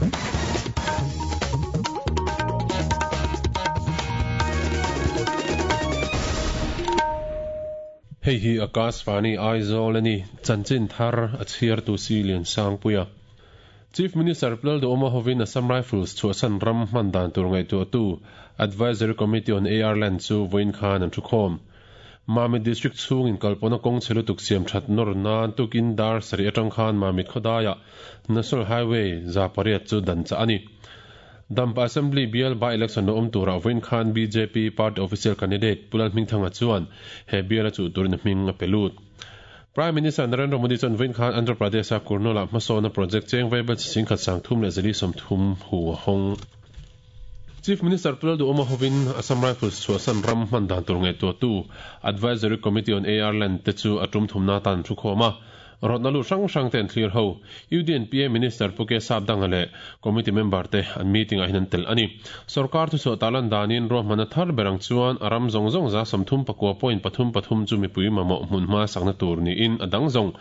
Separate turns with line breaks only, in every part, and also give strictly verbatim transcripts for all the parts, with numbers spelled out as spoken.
Hei hi Akashvani Aizawl ani chanchin thar a chhiar tu si lian sangpuia Chief Minister Lalduhoma hovin Assam Rifles chuasan ram hman dan tur ngai tu tu Advisory Committee on A R Land chu voin khan an thukhom Mamit District chung in kalpona kong chelutuk siam that nor nan tukin dar sari atang khan Mamit khodaya National Highway zapariat chu dan cha ani Dampa Assembly B L by election no um tura voin khan B J P party official candidate Pulal Hmingthanga chuan he B L chu turin hming a pelut Prime Minister Narendra Modi chuan voin khan Andhra Pradesh a Kurnool hmasawna project cheng veibel sing khat sang thum le zali som thum hu hong Chief Minister Lalduhoma hovin Assam Rifles chuasan ram hman dan tur ngai tu tu Advisory Committee on A R Land te chu atum thumna tan thu khoma Rotnalu sang sang ten clear ho U D N P A Minister Puke Sapdangale committee member te an meeting a hinan tel ani sarkar thu so talan danin ro mana thar berang chuan aram zong zong za samthum pakwa point pathum pathum chu mi pui mamo hmun ma sakna tur ni in adang zong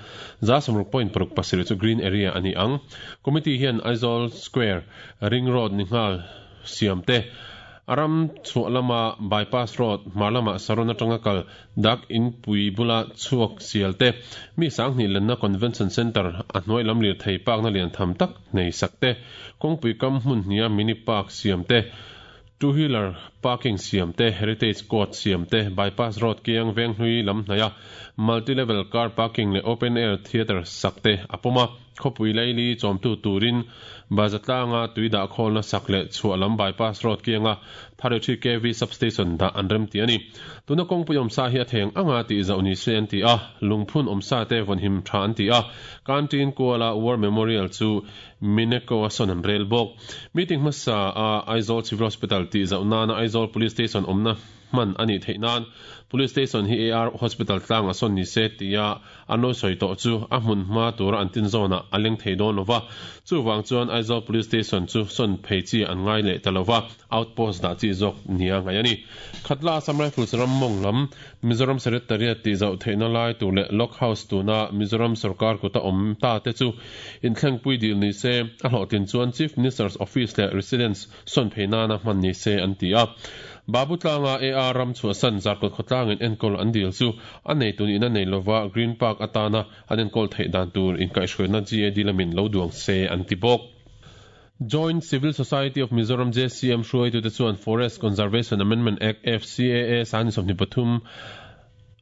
za samruk point paruk pasir chu green area ani ang committee hian Aizawl Square Ring Road ni ngal siam te aram chualama bypass road malama sarona tangakal dak in pui bula chuak sialte mi sangni lenna convention center a hnoi lam lir thei park na lian tham tak nei sakte kongpui kam hmun hnia mini park siamte two wheeler parking siamte heritage court siamte bypass road kiang veng hlui lam hnaya multi level car parking le open air theater sakte apoma khopui laili chomtu turin bazatlanga tuida kholna sakle chualam bypass road kianga thirty-three K V substation da anrem ti ani tuna kongpui omsa hi a theng anga ti zauni se an ti a lungphun omsa te vonhim tha an ti a kantin kuala war memorial chu mineko ason an rail bok meeting masa a Aizawl Civil Hospital ti zauna na Aizawl Police Station omna man ani theinan police station hi A R hospital tlang a son ni se tia ano soi to chu a hmun ma tur an tin zona aleng thei don lova chu wang chuan Aizawl Police Station chu son pheichi an ngai le talova outpost da chi jok nia ngai ani khatla Assam Rifles ram mong lam Mizoram Secretariat ti zau theina lai tu le lock house tu na Mizoram sarkar ko ta om ta te chu in thleng pui dil ni se a hlotin chuan Chief Minister's Office le residence son pheina na hman ni se an ti a Babu tlanga A R ram chuasan zarkot khotlang in enkol an dil chu anei tun in anei lova Green Park atana an enkol thei dan tur in kai hruina G A D lamin lo duang se an ti bawk Joint Civil Society of Mizoram J C M hruai tu te chuan Forest Conservation Amendment Act F C A A san somni pathum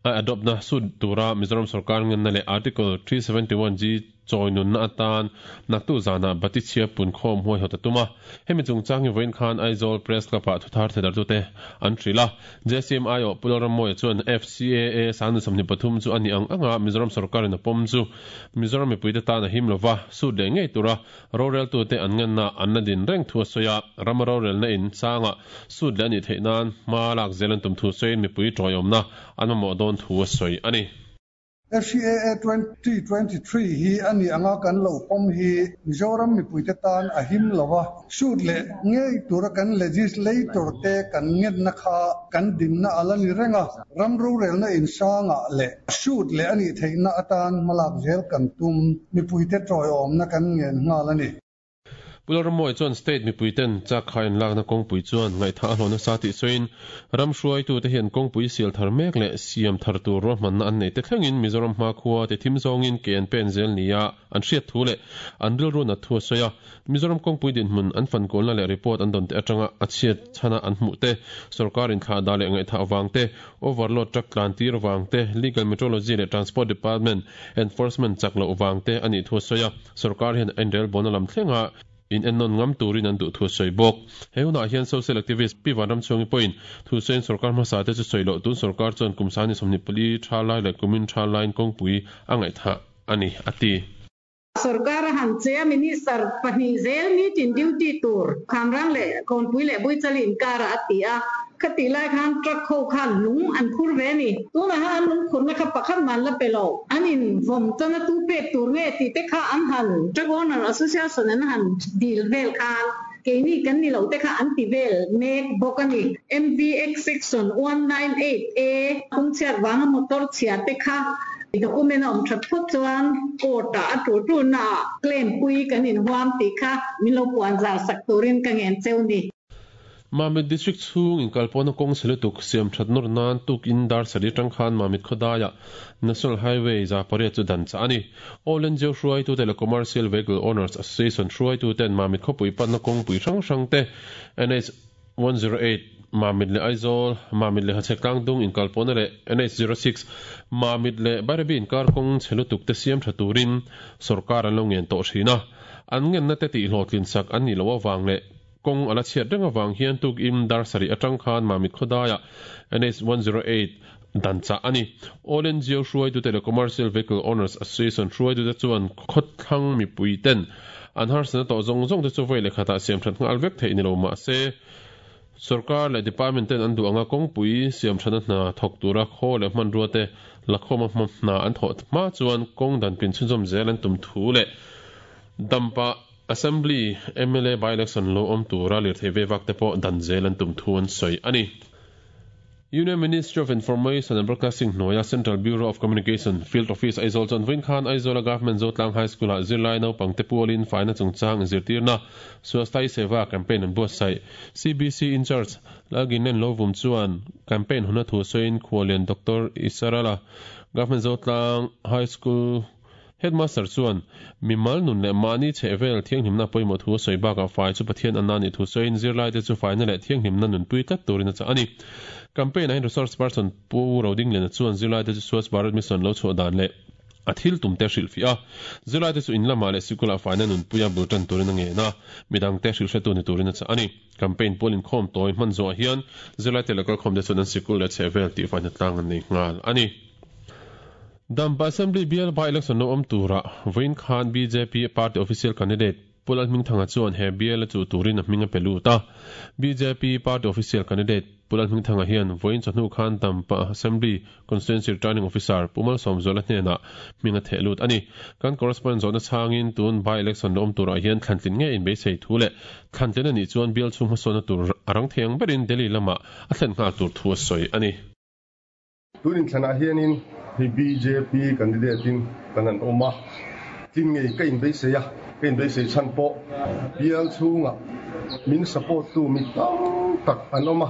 a adopt na sud tura Mizoram sarkar ngan na le Article three seventy-one G choinun na atan naktu zana batichia pun khom hoi hotatuma hemi chungchang voin khan Aizawl Press Club a thuthar thedar tu te an thrila J C M I O Pularam moi chuan F C A A san samni pathum chu ani ang anga Mizoram sarkar in a pom chu Mizoram mipuite ta na him lova su de ngei tura rorel tu te an ngan na an na din reng thu soya ram rorel na in sanga su le ani theinan ma lak zelan tum thu soin mipui toyom na an mo don thu soi ani
F C A A twenty twenty-three hi ani anga kan lo pom hi Mizoram mipuite tan a him lova shoot le ngei tura kan legislator te kan nget na kha kan din na alani renga ramru rel na insanga le shoot le ani theina atan malak zel kan tum mipuite troiom na kan ngen ngal ani
Pularmoi chuan state mipuiten chak khain lakna kongpui chuan ngai tha hlona sa ti soin ram hruai tu te hian kongpui sial thar mek le siam thar tur ro man an nei te thlengin Mizoram hma khuwa te thim zongin ke an pen zel nia an hriat thu le an ril ru na thu soya Mizoram kongpui din hmun an fan kolna le report an don te atanga a chiat chana an hmu te sarkar in kha da le ngai tha awang te overload truck tlan tir wang te legal metrology le transport department enforcement chak lo wang te ani thu soya sarkar hian an rel bonalam thlenga in ennon ngam turin an du thu soi bok heuna hian social activist pi vanram chungi point thu sen sarkar ma sa te chu soilo tun sarkar chon kumsani somni pali tha lai le kumin tha line kongpui angai tha ani ati
sarkar han che minister pani zel meeting duty tur khamrang le konpui le bui chalin kar atia khati lai khan truck kho khan lung an phur ve ni tu na han lung khur na kha pakhat man la pelo anin vom chana tu pe tur nge ti te kha an han truck owner association an han deal vel khan ke ni kan ni lo te kha an ti vel mek bokani M V X section one nine eight A kung chiat wang motor chia te kha Document a awm that phawt chuan court ah a tul tulna ah claim pui kan inhuam tih kha min lo puan zar sak turin ka ngen cheu ni.
Mamit District chhung inkalpawhna kawng chhe lutuk siam that nawr nan tukin dar sarih atang khan Mamit khawdaiah National Highway za pariat chu dan chah a ni. All N G O hruaitute leh Commercial Vehicle Owners Association hruaituten Mamit khawpui panna kawngpui hrang hrangte N H one zero eight Mamit leh Aizawl, Mamit leh Hachhek Tlangdung inkalpawhna leh N H zero six Mamit leh Bairabi inkar kawng chhe lutuk te siam tha turin sorkar an lo ngen tawh thin a. An ngenna te tihhlawhtlin sak an nih loh avang leh kawng ala chhiat reng avang hian tukin dar sarih atang khan Mamit khawdaiah N H one zero eight dan chah a ni. All N G O hruaitute leh Commercial Vehicle Owners Association hruaitute chuan khawthlang mipui ten an harsatna tawh zawng zawng te chu vawi leh khatah siam that nghal vek theih ni lo mahse sorkar leh department ten an duh anga kawngpui siam thana hna thawk tura khaw leh hmanrua te lakhawma hna an thawh hma chuan kawng dan pin chhunzawm zel an tum thu leh dampa Assembly M L A by-election lo awm tura lirthei ve vak te pawh dan zel an tum thu an sawi a ni. Union Ministry of Information and Broadcasting hnuaia Central Bureau of Communication Field Office Aizawl chuan vawiin khan Aizawla Government Zotlang High School-ah zirlai naupangte pualin faina chungchang inzirtirna Swasthai Seva campaign an buatsaih. C B C in charge Lalginen Lovum chuan campaign huna thu sawiin Khualian Doctor Isarala Government Zotlang High School Headmaster chuan mimal nun leh mahni chhehvel thianghlimna pawimawh thu a sawi bakah fai chu Pathian anna nih thu sawiin zirlai te chu faina leh thianghlimna nunpui tlat turin a chah a ni. Campaign ah hian resource person Pu Rodingliana chuan zirlai te chu Swachh Bharat Mission lo chhuah dan leh a thil tum te hrilh fiah a. Zirlai te chu in lamah leh sikulah faina nunpuia bul tan turin a ngen a, midang te hrilh hretu ni turin a chah a ni. Campaign pualin khawm tawi hman zawh hian zirlai te leh kalkhawm te chuan an sikul leh chhehvel tih faina tlang an nei nghal a ni. Dampa Assembly bial by-election lo awm turah vawiin khan B J P party official candidate Pu Lalhmingthanga chuan he bial a chuh turin a hming a pe lut a. B J P party official candidate Pu Lalhmingthanga hian vawiin chawhnu khan Dampa Assembly Constituency Returning Officer Pu Malsawmzuala hnenah hming a theh lut a ni. Kan correspondent zawhna changin tun by-election lo awm turah hian thlantlin nge inbeisei thu leh thlantlin a nih chuan bial chhung hmasawnna tur a rang thei ang berin Delhi lamah a thlen nghal tur thu a sawi a ni.
Tunin thlanah hianin hei B J P candidate in kan an awm a, tin ngei ka inbeisei a, ka inbeisei chhan pawh bial chhungah min support tu mi tam tak an awm a,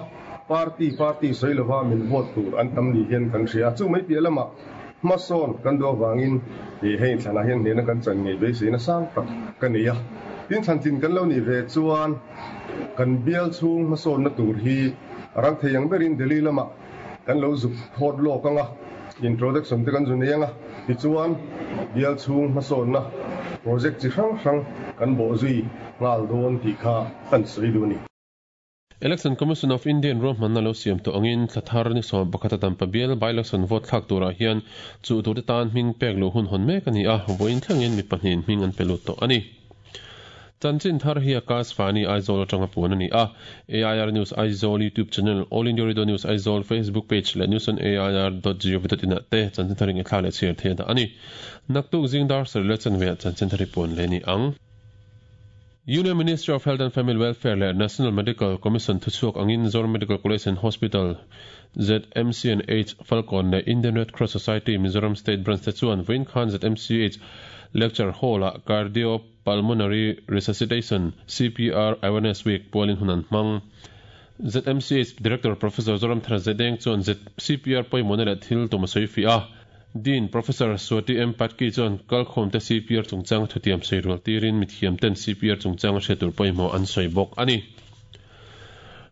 party party sawi lova min vote tur an tam ni hian kan hria a, chu mai piah lamah hmasawn kan duh avangin hei thlanah hian hnehna kan chan ngei beiseina sang tak ka nei a, tin thlantlin kan lo nih ve chuan kan bial chhung hmasawnna tur hi rang thei ang berin Delhi lamah kan lo zuk thawt lawk anga introduction te kan zu nei anga tichuan bial chhung hmasawnna project chi hrang hrang kan bawh zui nghal dawn tih kha kan sawi duh a ni.
Election Commission of India in ruahmanna lo siam tawh angin thlathar ni sawm pakhat a dampa bial by-election vote thlak turah hian chu turte tan hming pek loh hun hawn mek a ni a, vawiin thlengin mi pahnihin hming an pe lut tawh a ni. Chanchin thar hi Akashvani Aizawl atanga puan a ni a. A I R News Aizawl YouTube channel, All India Radio News Aizawl Facebook page leh news on A I R dot gov dot in ah te chanchin thar in thla leh chhiar thei a dah a ni. Naktuk zingdar sarih leh chanve ah chanchin thar hi puan leh ni ang. Union Ministry of Health and Family Welfare leh National Medical Commission thuchhuak angin Zoram Medical College and Hospital Z M C and H Falkawn leh Indian Red Cross Society Mizoram State Branch te chuan vawiin khan Z M C H Lecture Hall ah Cardiopulmonary Resuscitation C P R Awareness Week pualin hun an hmang. Z M C H Director Professor Zoramthara Zedeng chuan Z C P R pawimawhna leh thil tum a sawi fiah a. Dean Professor Swati M Patki chuan kalkhawm te C P R chungchang thutiam sawi rual tirin mithiam ten C P R chungchang a hriat tur pawimawh an sawi bawk a ni.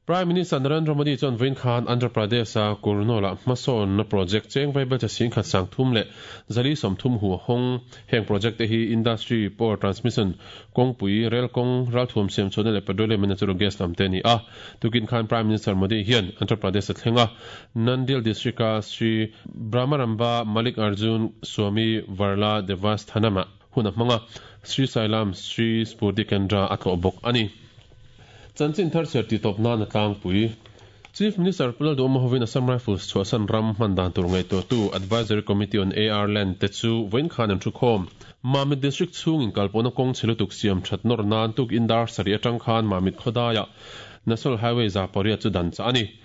Prime Minister Narendra Modi chuan vawiin khan Andhra Pradesh a Kurnool-ah hmasawnna project cheng vaibel cha sing khat sang thum leh zali sawm thum hu hawng. Heng project te hi industry, power transmission, kawngpui, rail kawng, ralthuam siam chhuahna leh petroleum and natural gas lam te a ni a. Tukin khan Prime Minister Modi hian Andhra Pradesh a thleng a, Nandyal district a Sri Brahmaramba Malik Arjun Swami Varla Devasthanam-ah hun a hmang a, Sri Sailam Sri Spurti Kendra a tlawh bawk a ni. Chanchin thar chhiar tih tawp nan a tlangpui. Chief Minister Pu Lalduhoma hovin Assam Rifles chhuahsan ram hman dan tur ngaihtuahtu Advisory Committee on A R Land te chu vawiin khan an thu khawm. Mamit District chhung inkalpawhna kawng chhe lutuk siam that nawr nan tuk in dar sarih atang khan Mamit khawdaiah National Highway za pariat chu dan chah a ni.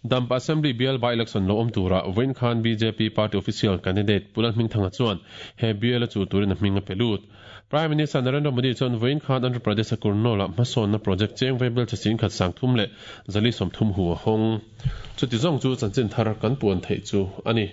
Dampa Assembly bial by election lo awm tura vawiin khan bjp party official candidate Pu Lalhmingthanga chuan he bial a chuh turin a hming a pe lut. Prime Minister Narendra Modi chuan vawiin khan Andhra Pradesh a Kurnool ah hmasawnna project cheng vaibel che sing khat sang thum leh zali sawmthum hu a hawng. Chuti zawng chu chanchin thar kan puan theih chu a ni.